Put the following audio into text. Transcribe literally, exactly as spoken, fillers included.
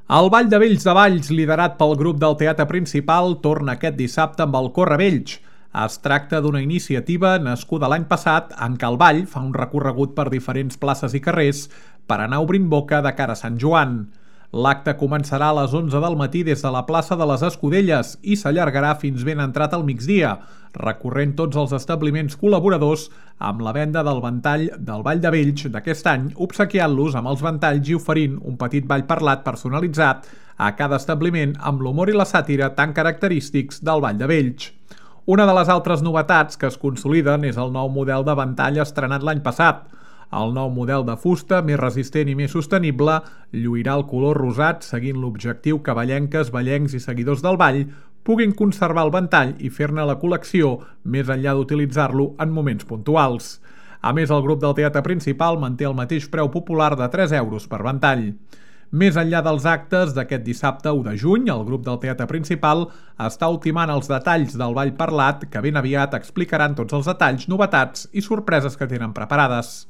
El Ball de Vells de Valls, liderat pel grup del Teatre Principal, torna aquest dissabte amb el Corre Vells. Es tracta d'una iniciativa nascuda l'any passat en què el ball fa un recorregut per diferents places i carrers per anar obrint boca de cara a Sant Joan. L'acte començarà a les onze del matí des de la plaça de les Escudelles i s'allargarà fins ben entrat al migdia, recorrent tots els establiments col·laboradors amb la venda del ventall del Ball de Vells d'aquest any, obsequiant-los amb els ventalls i oferint un petit ball parlat personalitzat a cada establiment amb l'humor i la sàtira tan característics del Ball de Vells. Una de les altres novetats que es consoliden és el nou model de ventall estrenat l'any passat. El nou model de fusta, més resistent i més sostenible, lluirà el color rosat seguint l'objectiu que ballenques, ballencs i seguidors del ball puguin conservar el ventall i fer-ne la col·lecció més enllà d'utilitzar-lo en moments puntuals. A més, el grup del Teatre Principal manté el mateix preu popular de tres euros per ventall. Més enllà dels actes d'aquest dissabte u de juny, el grup del Teatre Principal està ultimant els detalls del ball parlat que ben aviat explicaran tots els detalls, novetats i sorpreses que tenen preparades.